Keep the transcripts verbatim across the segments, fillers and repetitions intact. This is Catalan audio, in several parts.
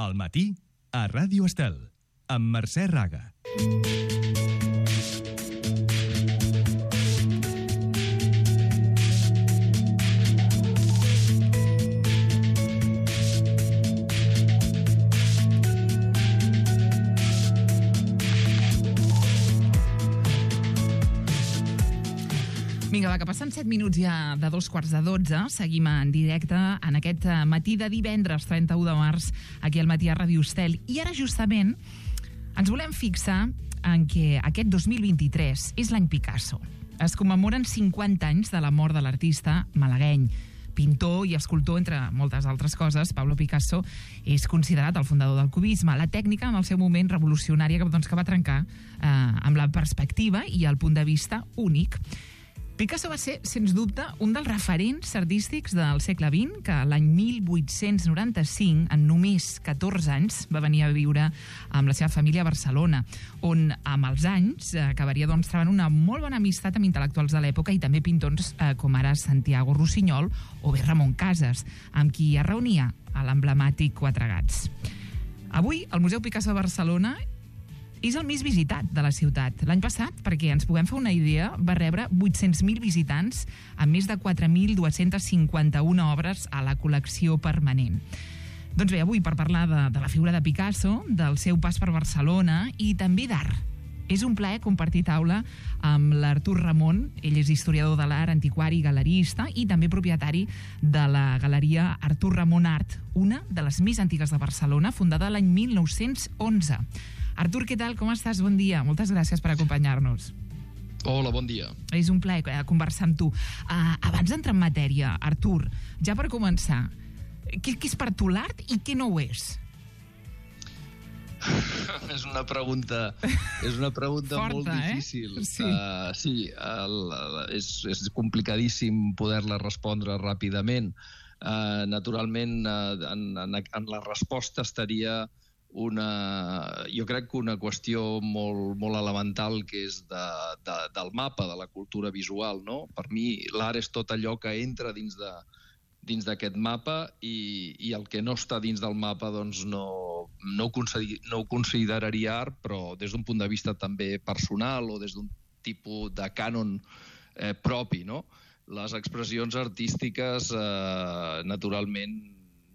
Al matí, a Ràdio Estel, amb Mercè Raga. Vinga, va, que passen set minuts ja de dos quarts de dotze. Seguim en directe en aquest matí de divendres trenta-u de març, aquí al matí a Ràdio Estel. I ara, justament, ens volem fixar en que aquest dos mil vint-i-tres és l'any Picasso. Es commemoren cinquanta anys de la mort de l'artista malagueny. Pintor i escultor, entre moltes altres coses, Pablo Picasso és considerat el fundador del cubisme, la tècnica en el seu moment revolucionària que, doncs, que va trencar eh, amb la perspectiva i el punt de vista únic. Picasso va ser, sens dubte, un dels referents artístics del segle vint, que l'any mil vuit-cents noranta-cinc, en només catorze anys, va venir a viure amb la seva família a Barcelona, on amb els anys acabaria, doncs, trobant una molt bona amistat amb intel·lectuals de l'època i també pintors eh, com ara Santiago Rossinyol o bé Ramon Casas, amb qui es reunia a l'emblemàtic Quatre Gats. Avui, el Museu Picasso de Barcelona és el més visitat de la ciutat. L'any passat, perquè ens puguem fer una idea, va rebre vuit-cents mil visitants amb més de quatre mil dos-cents cinquanta-una obres a la col·lecció permanent. Doncs bé, avui per parlar de, de la figura de Picasso, del seu pas per Barcelona i també d'art. És un plaer compartir taula amb l'Artur Ramon. Ell és historiador de l'art, antiquari, galerista i també propietari de la galeria Artur Ramon Art, una de les més antigues de Barcelona, fundada l'any mil nou-cents onze. Artur, què tal? Com estàs? Bon dia. Moltes gràcies per acompanyar-nos. Hola, bon dia. És un plaer conversar amb tu. Uh, abans d'entrar en matèria, Artur, ja per començar, què, què és per tu l'art i què no ho és? és una pregunta, és una pregunta Forta, molt difícil. Eh? Sí, uh, sí el, és, és complicadíssim poder-la respondre ràpidament. Uh, naturalment, uh, en, en, en la resposta estaria una, jo crec que una qüestió molt, molt elemental, que és de, de, del mapa, de la cultura visual, no? Per mi l'art és tot allò que entra dins de dins d'aquest mapa i, i el que no està dins del mapa doncs no, no, ho consideri, no ho consideraria art, però des d'un punt de vista també personal o des d'un tipus de cànon eh, propi, no? Les expressions artístiques eh, naturalment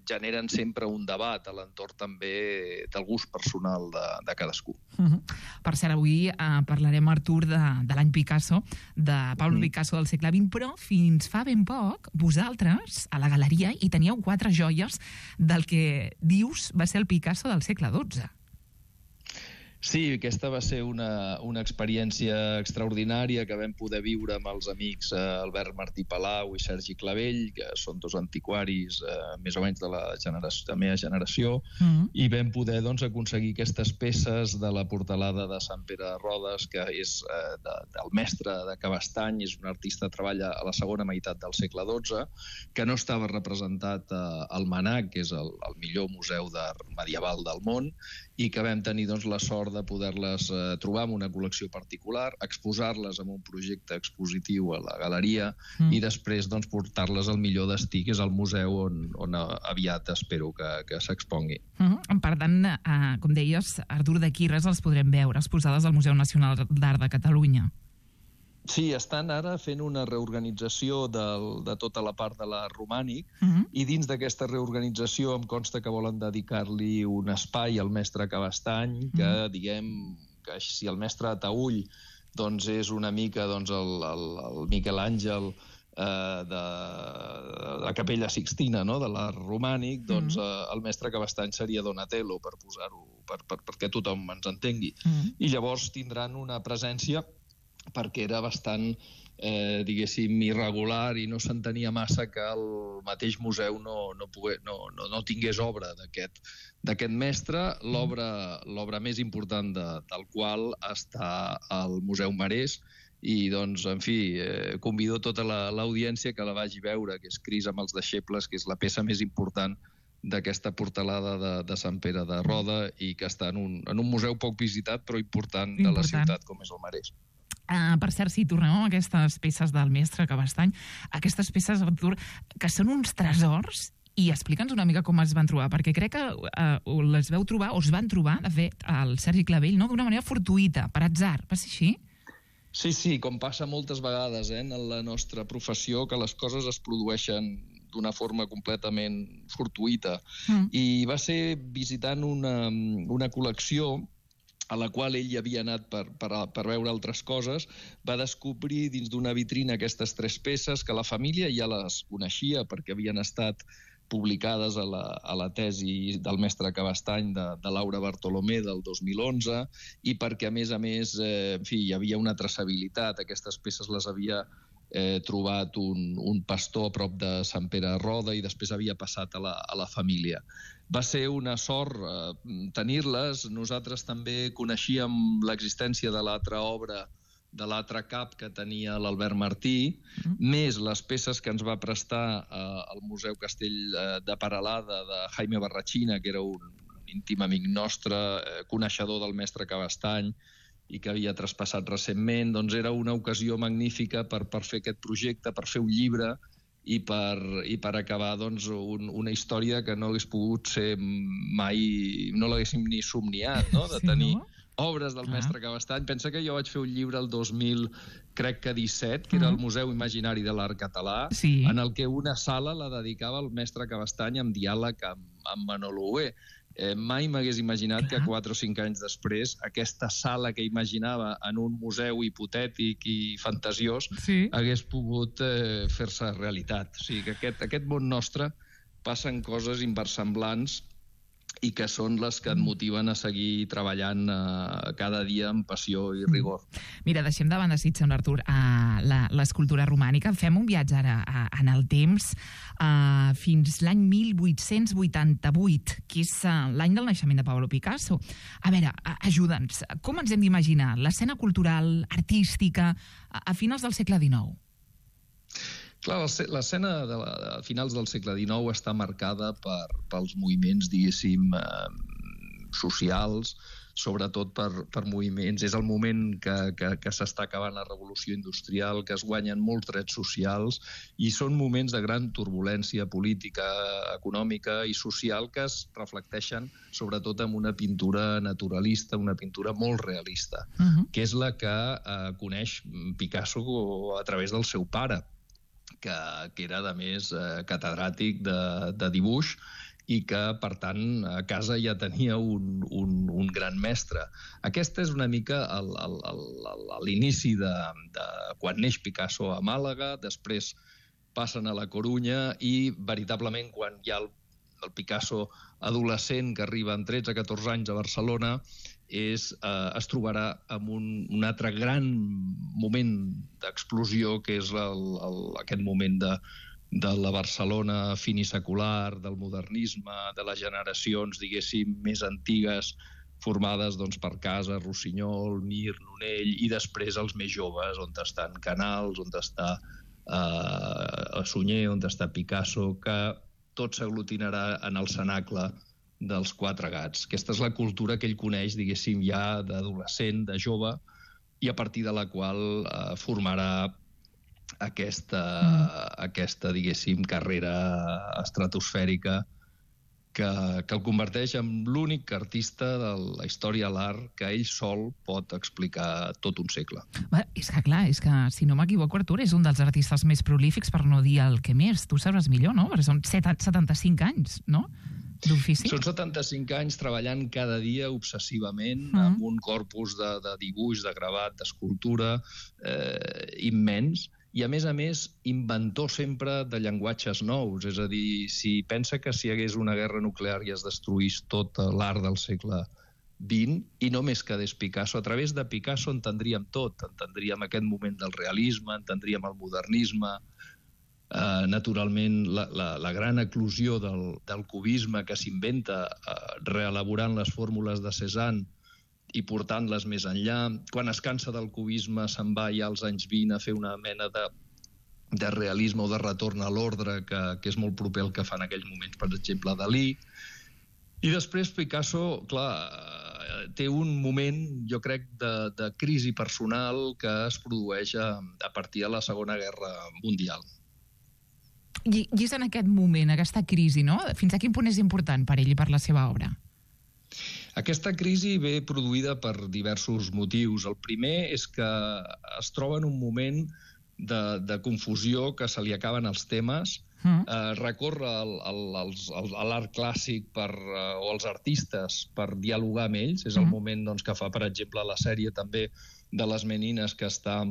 generen sempre un debat a l'entorn també del gust personal de, de cadascú. Uh-huh. Per cert, avui eh, parlarem, Artur, de, de l'any Picasso, de Pablo mm. Picasso del segle vint, però fins fa ben poc, vosaltres, a la galeria, hi teníeu quatre joies del que dius va ser el Picasso del segle dotze. Sí, aquesta va ser una, una experiència extraordinària que vam poder viure amb els amics eh, Albert Martí Palau i Sergi Clavell, que són dos antiquaris eh, més o menys de la, generació, de la meva generació, mm-hmm. i vam poder doncs, aconseguir aquestes peces de la portalada de Sant Pere de Rodes, que és eh, de, del mestre de Cabestany, és un artista que treballa a la segona meitat del segle dotze, que no estava representat eh, al MANAC, que és el, el millor museu d'art medieval del món, i que vam tenir doncs, la sort de poder-les eh, trobar en una col·lecció particular, exposar-les en un projecte expositiu a la galeria mm. i després doncs, portar-les al millor destí, que és el museu on, on aviat espero que, que s'expongui. Mm-hmm. Per tant, eh, com deies, Artur, d'aquí res els podrem veure exposades al Museu Nacional d'Art de Catalunya. Sí, estan ara fent una reorganització del, de tota la part de l'art romànic uh-huh. i dins d'aquesta reorganització em consta que volen dedicar-li un espai al mestre Cabestany, que uh-huh. diguem que si el mestre Ataüll doncs és una mica doncs, el, el, el Miquel Àngel eh, de, de la Capella Sixtina, no? De l'art romànic, doncs uh-huh. eh, el mestre Cabestany seria Donatello, per posar-ho, per, per, perquè tothom ens entengui. Uh-huh. I llavors tindran una presència perquè era bastant, eh, diguéssim, irregular i no s'entenia massa que el mateix museu no, no, pogués, no, no, no tingués obra d'aquest d'aquest mestre, l'obra, l'obra més important de, del qual està al Museu Marès, i doncs, en fi, eh, convido tota la, l'audiència que la vagi veure, que és Cris amb els deixebles, que és la peça més important d'aquesta portalada de, de Sant Pere de Roda i que està en un, en un museu poc visitat però important, important. de la ciutat com és el Marès. Uh, per cert, si tornem a aquestes peces del mestre Cabestany, aquestes peces, Artur, que són uns tresors I explica'ns una mica com es van trobar, perquè crec que eh, les veu trobar, o es van trobar, de fet, el Sergi Clavell, no? D'una manera fortuïta, per atzar. Va ser així? Sí, sí, com passa moltes vegades eh, en la nostra professió, que les coses es produeixen d'una forma completament fortuïta. Mm. I va ser visitant una, una col·lecció a la qual ell havia anat per, per, per veure altres coses, va descobrir dins d'una vitrina aquestes tres peces que la família ja les coneixia perquè havien estat publicades a la, a la tesi del mestre Cabestany de, de Laura Bartolomé del dos mil onze i perquè, a més a més, eh, en fi, hi havia una traçabilitat. Aquestes peces les havia eh, trobat un, un pastor a prop de Sant Pere Roda i després havia passat a la, a la família. Va ser una sort eh, tenir-les. Nosaltres també coneixíem l'existència de l'altra obra, de l'altre cap que tenia l'Albert Martí, mm. més les peces que ens va prestar eh, el Museu Castell de Peralada de Jaime Barrachina, que era un íntim amic nostre, eh, coneixedor del mestre Cabestany i que havia traspassat recentment. Doncs era una ocasió magnífica per, per fer aquest projecte, per fer un llibre i per, i per acabar doncs, un, una història que no hagués pogut ser mai, no l'haguéssim ni somniat, no? De tenir sí, no? obres del Clar. mestre Cabestany. Pensa que jo vaig fer un llibre el dos mil, crec que disset, que era el Museu Imaginari de l'Art Català, sí. en el que una sala la dedicava al mestre Cabestany amb diàleg amb, amb Manolo Hué. Eh, mai m'hagués imaginat Clar. que quatre o cinc anys després aquesta sala que imaginava en un museu hipotètic i fantasiós sí. hagués pogut eh, fer-se realitat. O sigui que aquest, aquest món nostre passen coses inversemblants i que són les que et motiven a seguir treballant eh, cada dia amb passió i rigor. Mira, deixem de banda, si et sembla, Artur, uh, l'escultura romànica. Fem un viatge ara uh, en el temps uh, fins l'any mil vuit-cents vuitanta-vuit, que és uh, l'any del naixement de Pablo Picasso. A veure, uh, ajuda'ns, com ens hem d'imaginar l'escena cultural, artística, a, a finals del segle dinou? Clar, l'escena de, de finals del segle dinou està marcada per, pels moviments, diguéssim, eh, socials, sobretot per, per moviments. És el moment que, que, que s'està acabant la revolució industrial, que es guanyen molts drets socials i són moments de gran turbulència política, econòmica i social que es reflecteixen sobretot en una pintura naturalista, una pintura molt realista, uh-huh. que és la que eh, coneix Picasso a través del seu pare, que, que era, a més, eh, catedràtic de, de dibuix i que, per tant, a casa ja tenia un, un, un gran mestre. Aquest és una mica l'inici de, de quan neix Picasso a Màlaga, després passen a la Corunya i, veritablement, quan hi ha el, el Picasso adolescent que arriba amb tretze a catorze anys a Barcelona, és, eh, es trobarà amb un, un altre gran moment d'explosió, que és el, el, aquest moment de, de la Barcelona finisecular, del modernisme, de les generacions, diguéssim, més antigues, formades doncs, per Casas, Rossinyol, Mir, Nonell, i després els més joves, on estan Canals, on està eh, Sunyer, on està Picasso, que tot s'aglutinarà en el cenacle dels Quatre Gats. Aquesta és la cultura que ell coneix, diguéssim, ja d'adolescent, de jove, i a partir de la qual eh, formarà aquesta, mm. aquesta, diguéssim, carrera estratosfèrica que, que el converteix en l'únic artista de la història de l'art que ell sol pot explicar tot un segle. Bé, és que clar, és que, si no m'equivoco, Artur, és un dels artistes més prolífics, per no dir el que més. Tu sabràs millor, no? Perquè són setanta-cinc anys, no? D'ofici? Són setanta-cinc anys treballant cada dia obsessivament mm. amb un corpus de, de dibuix, de gravat, d'escultura eh, immens, i a més a més inventor sempre de llenguatges nous. És a dir, si pensa que si hi hagués una guerra nuclear i es destruís tot l'art del segle vint, i només quedés Picasso, a través de Picasso entendríem tot, entendríem aquest moment del realisme, entendríem el modernisme, Uh, naturalment la, la, la gran eclosió del, del cubisme que s'inventa uh, reelaborant les fórmules de Cézanne i portant-les més enllà. Quan es cansa del cubisme se'n va ja als anys vint a fer una mena de, de realisme o de retorn a l'ordre que, que és molt proper al que fa en aquells moments, per exemple, Dalí. I després Picasso, clar, té un moment, jo crec, de, de crisi personal que es produeix a, a partir de la Segona Guerra Mundial. I, I és en aquest moment, aquesta crisi, no? Fins a quin punt és important per ell i per la seva obra? Aquesta crisi ve produïda per diversos motius. El primer és que es troba en un moment de, de confusió, que se li acaben els temes, mm. eh, recorre el, el, els, el, a l'art clàssic per, eh, o els artistes per dialogar amb ells. És el mm. moment doncs, que fa, per exemple, la sèrie també de les Menines, que està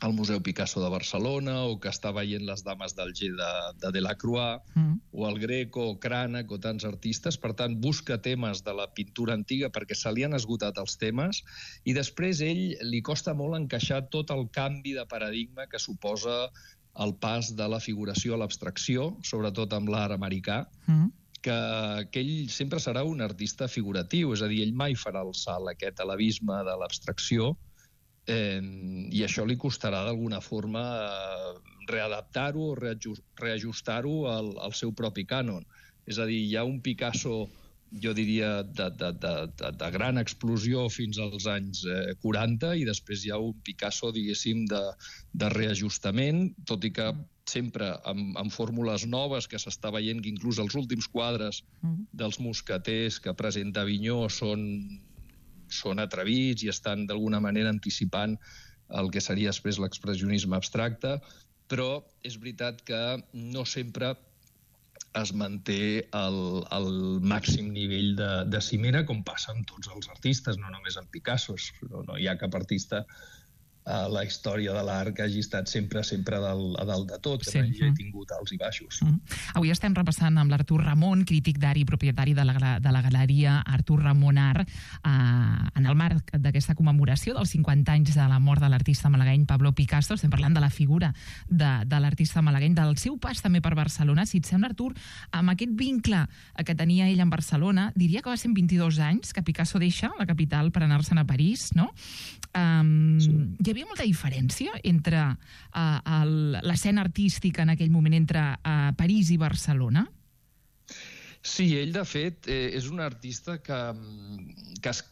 al Museu Picasso de Barcelona, o que està veient les Dames d'Alger de, de Delacroix, mm. o el Greco, o Cranach, o tants artistes. Per tant, busca temes de la pintura antiga perquè se li han esgotat els temes, i després ell li costa molt encaixar tot el canvi de paradigma que suposa el pas de la figuració a l'abstracció, sobretot amb l'art americà, mm. que, que ell sempre serà un artista figuratiu, és a dir, ell mai farà el salt aquest a l'abisme de l'abstracció, Eh, i això li costarà d'alguna forma eh, readaptar-ho o reajustar-ho al, al seu propi cànon. És a dir, hi ha un Picasso, jo diria, de, de, de, de, de gran explosió fins als anys eh, quaranta, i després hi ha un Picasso, diguéssim, de, de reajustament, tot i que sempre amb, amb fórmules noves, que s'està veient que inclús els últims quadres dels mosqueters que presenta Avinyó són són atrevits i estan d'alguna manera anticipant el que seria després l'expressionisme abstracte, però és veritat que no sempre es manté el, el màxim nivell de, de cimera, com passa amb tots els artistes, no només amb Picasso. No, no hi ha cap artista a la història de l'art que hagi estat sempre sempre a dalt, a dalt de tot, que sí. no hi ha tingut alts i baixos. Mm. Avui estem repassant amb l'Artur Ramon, crític d'art i propietari de la, de la galeria Artur Ramon Art, eh, en el marc d'aquesta commemoració dels cinquanta anys de la mort de l'artista malagueny Pablo Picasso. Estem parlant de la figura de, de l'artista malagueny, del seu pas també per Barcelona. Si et sembla, Artur, amb aquest vincle que tenia ell amb Barcelona, diria que va ser en vint-i-dos anys que Picasso deixa la capital per anar-se'n a París, no? Um, sí. Hi havia molta diferència entre uh, l'escena artística en aquell moment entre uh, París i Barcelona? Sí, ell, de fet, eh, és un artista que, que es,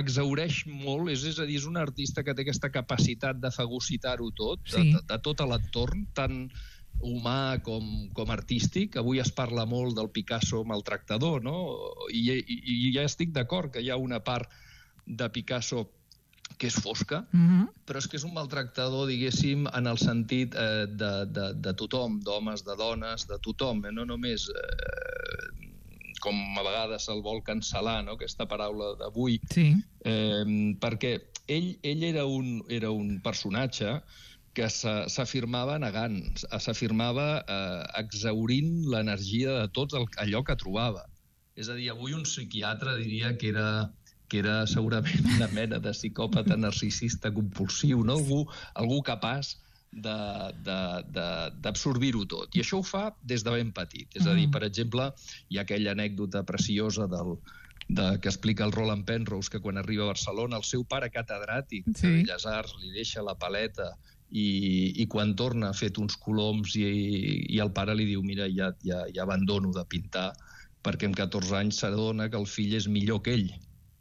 exhaureix molt, és, és a dir, és un artista que té aquesta capacitat de fagocitar-ho tot, sí. de, de, de tot l'entorn, tant humà com, com artístic. Avui es parla molt del Picasso maltractador, no? I, i, i ja estic d'acord que hi ha una part de Picasso que és fosca, mm-hmm. però és que és un maltractador, diguéssim, en el sentit eh, de, de, de tothom, d'homes, de dones, de tothom, eh? No només, eh, com a vegades se'l vol cancel·lar, no? Aquesta paraula d'avui, sí. eh, perquè ell, ell era, un, era un personatge que s'afirmava negant, s'afirmava eh, exhaurint l'energia de tot el, allò que trobava. És a dir, avui un psiquiatre diria que era... que era segurament una mena de psicòpata narcisista compulsiu, no? Algú, algú capaç d'absorbir-ho tot. I això ho fa des de ben petit. És a dir, per exemple, hi ha aquella anècdota preciosa del, de, que explica el Roland Penrose, que quan arriba a Barcelona, el seu pare catedràtic sí. de Belles Arts li deixa la paleta i, i quan torna ha fet uns coloms i, i el pare li diu, mira, ja, ja, ja abandono de pintar, perquè amb catorze anys s'adona que el fill és millor que ell.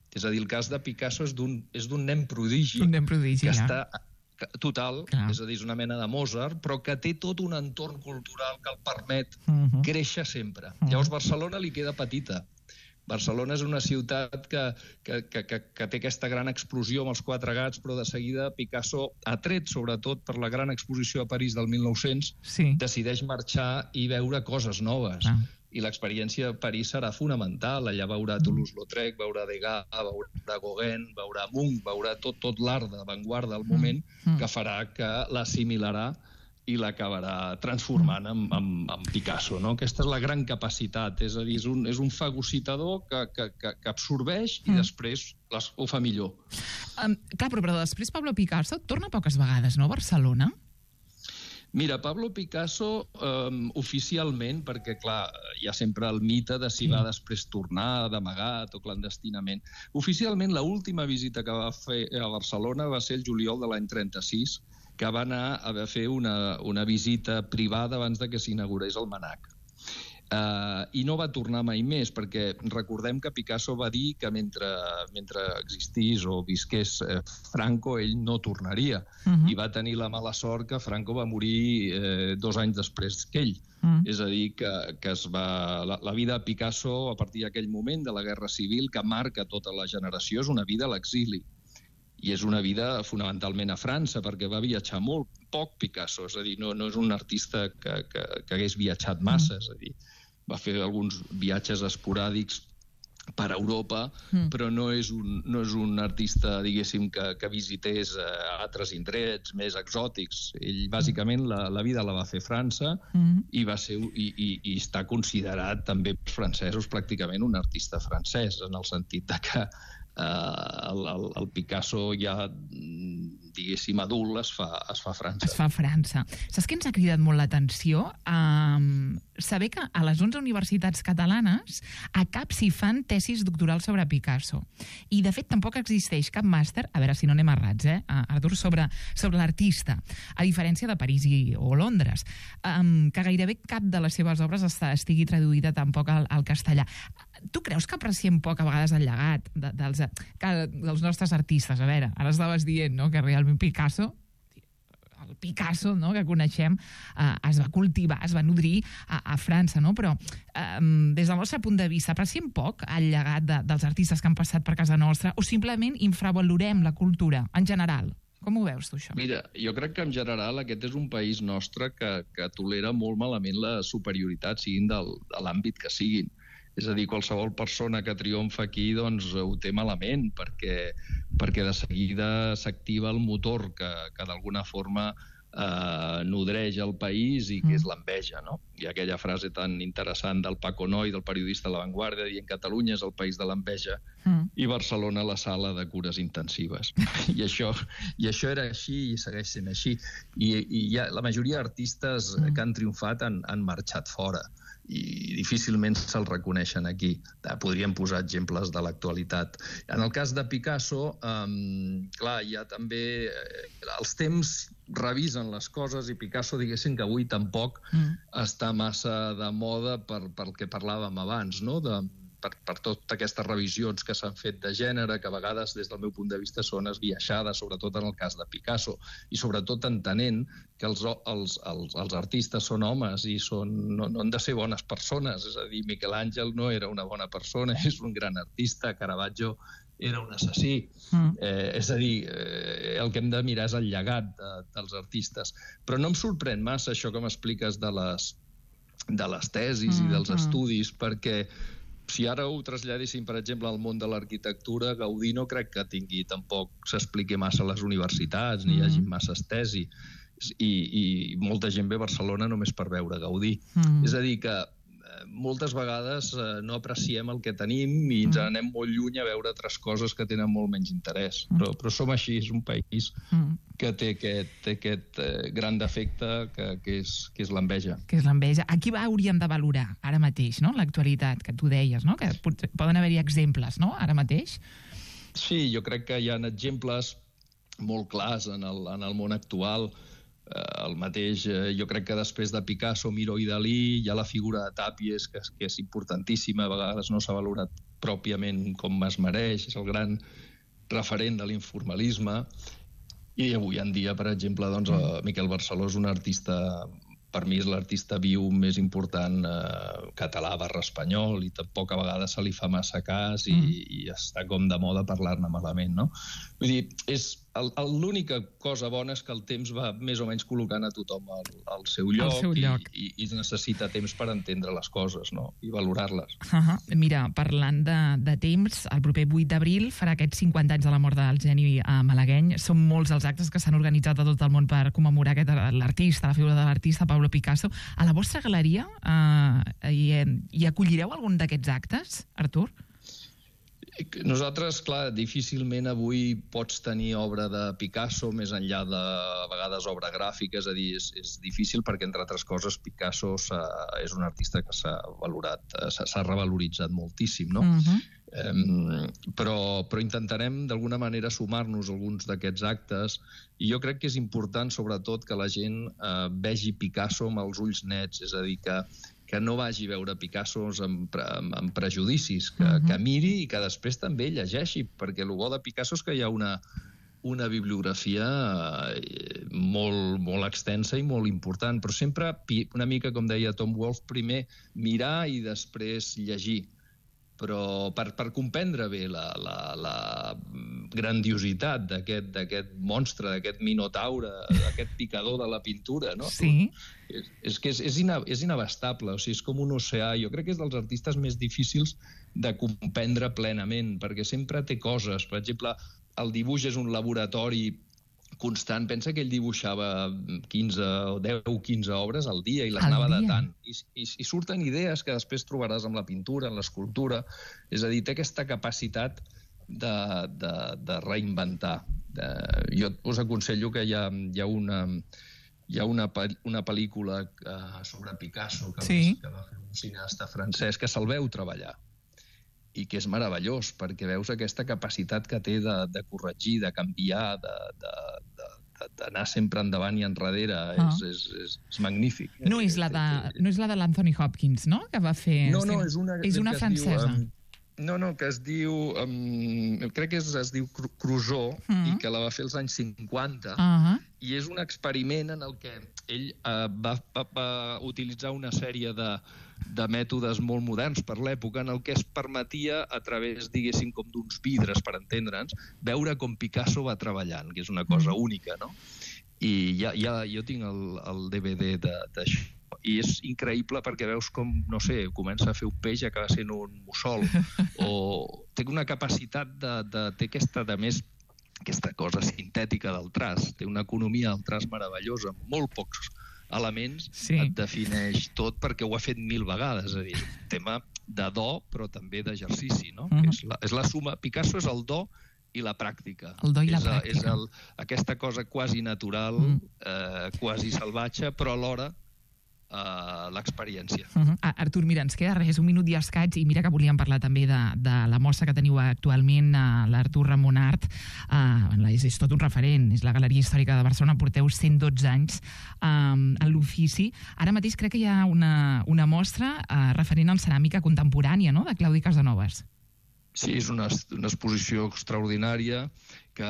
És a dir, el cas de Picasso és d'un nen prodigi, un nen prodigi que ja. està total, Clar. és a dir, és una mena de Mozart, però que té tot un entorn cultural que el permet uh-huh. créixer sempre. Uh-huh. Llavors, Barcelona li queda petita. Barcelona és una ciutat que, que, que, que, que té aquesta gran explosió amb els quatre gats, però de seguida Picasso, atret sobretot per la gran exposició a París del mil nou-cents, sí. decideix marxar i veure coses noves. Ah. I l'experiència a París serà fonamental. Allà veurà Toulouse-Lautrec, veurà Degas, veurà Gauguin, veurà Munch, veurà tot, tot l'art d'avantguarda del moment mm. que farà que l'assimilarà i l'acabarà transformant en, en, en Picasso. No? Aquesta és la gran capacitat, és a dir, és un, és un fagocitador que, que, que, que absorbeix i mm. després les, ho fa millor. Um, clar, però, però després Pablo Picasso torna poques vegades, no, a Barcelona? Mira, Pablo Picasso, eh, oficialment, perquè, clar, hi ha sempre el mite de si va després tornar d'amagat o clandestinament. Oficialment, l'última visita que va fer a Barcelona va ser el juliol de l'any trenta-sis, que va anar a fer una, una visita privada abans de que s'inaugurés el MNAC. Uh, I no va tornar mai més, perquè recordem que Picasso va dir que mentre, mentre existís o visqués eh, Franco, ell no tornaria. Uh-huh. I va tenir la mala sort que Franco va morir eh, dos anys després que ell. Uh-huh. És a dir, que, que es va... La, la vida de Picasso, a partir d'aquell moment de la Guerra Civil, que marca tota la generació, és una vida a l'exili. I és una vida fonamentalment a França, perquè va viatjar molt poc Picasso, és a dir, no, no és un artista que, que, que hagués viatjat massa, és a dir, va fer alguns viatges esporàdics per Europa, mm. però no és un, no és un artista, diguéssim, que, que visités eh, altres indrets més exòtics. Ell, bàsicament, la, la vida la va fer França mm. i, va ser, i, i, i està considerat també pels francesos pràcticament un artista francès, en el sentit de que eh, el, el, el Picasso ja, diguéssim, adult es fa, es fa a França. Es fa a França. Saps què ens ha cridat molt l'atenció? Um, saber que a les onze universitats catalanes a cap s'hi fan tesis doctorals sobre Picasso. I, de fet, tampoc existeix cap màster, a veure si no anem errats, eh, Artur, sobre, sobre l'artista, a diferència de París i, o Londres, um, que gairebé cap de les seves obres està, estigui traduïda tampoc al, al castellà. Tu creus que apreciem poc a vegades el llegat de, dels, que, dels nostres artistes? A veure, ara estaves dient, no?, que realment Picasso, el Picasso, no?, que coneixem, eh, es va cultivar, es va nodrir a, a França, no? Però eh, des del nostre punt de vista, apreciem poc el llegat de, dels artistes que han passat per casa nostra o simplement infravalorem la cultura en general? Com ho veus, tu, això? Mira, jo crec que en general aquest és un país nostre que, que tolera molt malament la superioritat, siguin del, de l'àmbit que siguin. És a dir, qualsevol persona que triomfa aquí doncs, ho té malament, perquè, perquè de seguida s'activa el motor que, que d'alguna forma eh, nodreix el país i que és l'enveja, no? Hi ha aquella frase tan interessant del Paco Noy, del periodista de La Vanguardia, dient Catalunya és el país de l'enveja mm. i Barcelona la sala de cures intensives. I això, i això era així i segueix sent així. I, i ja, la majoria d'artistes mm. que han triomfat han, han marxat fora i difícilment se'l reconeixen aquí. Podríem posar exemples de l'actualitat. En el cas de Picasso, um, clar, hi ha també... Els temps revisen les coses i Picasso, diguéssim que avui tampoc mm. està massa de moda per, pel que parlàvem abans, no?, de... Per, per totes aquestes revisions que s'han fet de gènere, que a vegades, des del meu punt de vista, són esbiaixades, sobretot en el cas de Picasso, i sobretot entenent que els, els, els, els artistes són homes i són, no, no han de ser bones persones. És a dir, Miquel Àngel no era una bona persona, és un gran artista, Caravaggio era un assassí. Mm. Eh, és a dir, eh, el que hem de mirar és el llegat de, dels artistes. Però no em sorprèn massa això que m'expliques de les, de les tesis mm, i dels mm. estudis, perquè si ara ho traslladéssim, per exemple, al món de l'arquitectura, Gaudí no crec que tingui tampoc s'expliqui massa a les universitats, ni mm. hi hagi massa estesi. I, I molta gent ve a Barcelona només per veure Gaudí. Mm. És a dir, que moltes vegades eh, no apreciem el que tenim i ens mm. anem molt lluny a veure altres coses que tenen molt menys interès. Mm. Però, però som així, és un país mm. que té aquest, té aquest eh, gran defecte que, que és, que és l'enveja. Que és l'enveja. Aquí hauríem de valorar ara mateix, no?, l'actualitat, que tu deies, no?, que poden haver-hi exemples, no?, ara mateix. Sí, jo crec que hi ha exemples molt clars en el, en el món actual. El mateix, jo crec que després de Picasso, Miró i Dalí, hi ha la figura de Tàpies, que, que és importantíssima, a vegades no s'ha valorat pròpiament com es mereix, és el gran referent de l'informalisme. I avui en dia, per exemple, doncs, Miquel Barceló és un artista, per mi és l'artista viu més important eh, català barra espanyol, i tampoc a vegades se li fa massa cas i, mm. i està com de moda parlar-ne malament, no? Vull dir, és... L'única cosa bona és que el temps va més o menys col·locant a tothom al, al seu lloc, seu lloc. I, i, i es necessita temps per entendre les coses, no?, i valorar-les. Uh -huh. Mira, parlant de, de temps, el proper vuit d'abril farà aquests cinquanta anys de la mort del geni malagueny. Són molts els actes que s'han organitzat a tot el món per commemorar aquest, l'artista, la figura de l'artista, Pablo Picasso. A la vostra galeria eh, hi, hi acollireu algun d'aquests actes, Artur? Nosaltres, clar, difícilment avui pots tenir obra de Picasso més enllà de, a vegades, obra gràfica, és a dir, és, és difícil perquè, entre altres coses, Picasso és un artista que s'ha valorat, s'ha revaloritzat moltíssim, no? Uh-huh. Um, però, però intentarem d'alguna manera sumar-nos a alguns d'aquests actes, i jo crec que és important, sobretot, que la gent uh, vegi Picasso amb els ulls nets, és a dir, que que no vagi a veure Picassos amb, amb, amb prejudicis, que, Uh-huh. que miri i que després també llegeixi, perquè el bo de Picasso és que hi ha una, una bibliografia eh, molt, molt extensa i molt important, però sempre una mica, com deia Tom Wolfe, primer mirar i després llegir. Però per, per comprendre bé la, la, la grandiositat d'aquest d'aquest monstre, d'aquest minotaure, d'aquest picador de la pintura, no? Sí. És, és que és, és, ina, és inabastable, o sigui, és com un oceà. Jo crec que és dels artistes més difícils de comprendre plenament, perquè sempre té coses. Per exemple, el dibuix és un laboratori constant. Pensa que ell dibuixava quinze o deu o quinze obres al dia i les Al anava dia? datant. I, i, I surten idees que després trobaràs amb la pintura, en l'escultura. És a dir, té aquesta capacitat de, de, de reinventar. De, jo us aconsello que hi ha, hi ha una... Hi ha una, una pel·lícula uh, sobre Picasso que, Sí. que va fer un cineasta francès que se'l veu treballar i que és meravellós, perquè veus aquesta capacitat que té de, de corregir, de canviar, de, de, de, d'anar sempre endavant i enrere. Ah. És, és, és, és magnífic. No és la de, no és la de l'Anthony Hopkins, no?, que va fer... No, no, és una, és una que es francesa. Diu, um, no, no, que es diu... Um, crec que es, es diu Cru- Crusoe, Mm. i que la va fer als anys cinquanta. Ah, I és un experiment en el que ell uh, va, va, va utilitzar una sèrie de, de mètodes molt moderns per l'època, en el que es permetia, a través, diguéssim, com d'uns vidres, per entendre'ns, veure com Picasso va treballant, que és una cosa Mm. única, no? I ja, ja, jo tinc el, el D V D de- d'això, i és increïble perquè veus com, no sé, comença a fer un peix i acaba sent un mussol, o té una capacitat de, de té aquesta, de més, aquesta cosa sintètica del traç, té una economia del traç meravellosa, amb molt pocs elements, Sí. et defineix tot perquè ho ha fet mil vegades, és a dir, és un tema de do, però també d'exercici, no? Mhm. És, la, és la suma, Picasso és el do i la pràctica. El do i la és, a- És pràctica. el, aquesta cosa quasi natural, Mm. eh, quasi salvatge, però alhora eh, l'experiència. Uh -huh. Artur, mira, ens queda res, un minut i escaig, i mira que volíem parlar també de, de la mostra que teniu actualment, uh, l'Artur Ramon Art. Uh, és, és tot un referent, és la Galeria Històrica de Barcelona, porteu cent dotze anys um, en l'ofici. Ara mateix crec que hi ha una, una mostra uh, referent en ceràmica contemporània, no?, de Claudi Casanovas. Sí, és una, una exposició extraordinària que,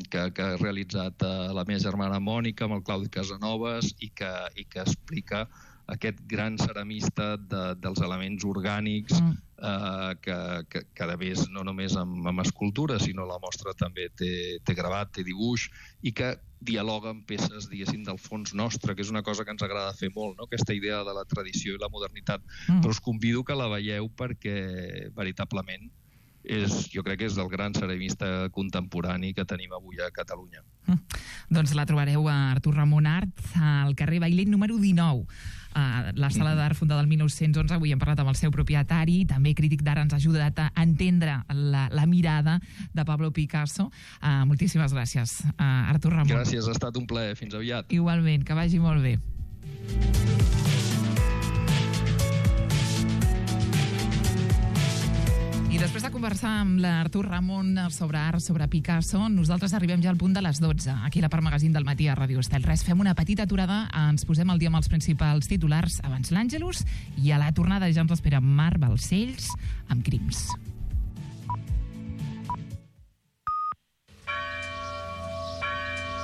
que, que ha realitzat eh, la meva germana Mònica amb el Claudi Casanovas i que, i que explica aquest gran ceramista de, dels elements orgànics, Mm. eh, que, que, que a més no només amb, amb escultura, sinó la mostra també té, té gravat, té dibuix, i que dialoga amb peces, diguéssim, del fons nostre, que és una cosa que ens agrada fer molt, no?, aquesta idea de la tradició i la modernitat. Mm. Però us convido que la veieu perquè, veritablement, és, jo crec que és el gran ceramista contemporani que tenim avui a Catalunya. Mm. Doncs la trobareu a Artur Ramon Art, al carrer Bailent número dinou. Uh, la sala d'art fundada el mil nou-cents onze, avui hem parlat amb el seu propietari, també crític d'art, ens ha ajudat a entendre la, la mirada de Pablo Picasso. Uh, moltíssimes gràcies, uh, Artur Ramon. Gràcies, ha estat un plaer. Fins aviat. Igualment, que vagi molt bé. I després de conversar amb l'Artur Ramon sobre art, sobre Picasso, nosaltres arribem ja al punt de les dotze, aquí a la Part Magazín del matí a Ràdio Estel. Res, fem una petita aturada, ens posem al dia amb els principals titulars abans l'Àngelus, i a la tornada ja ens espera Mar Balcells amb Crims.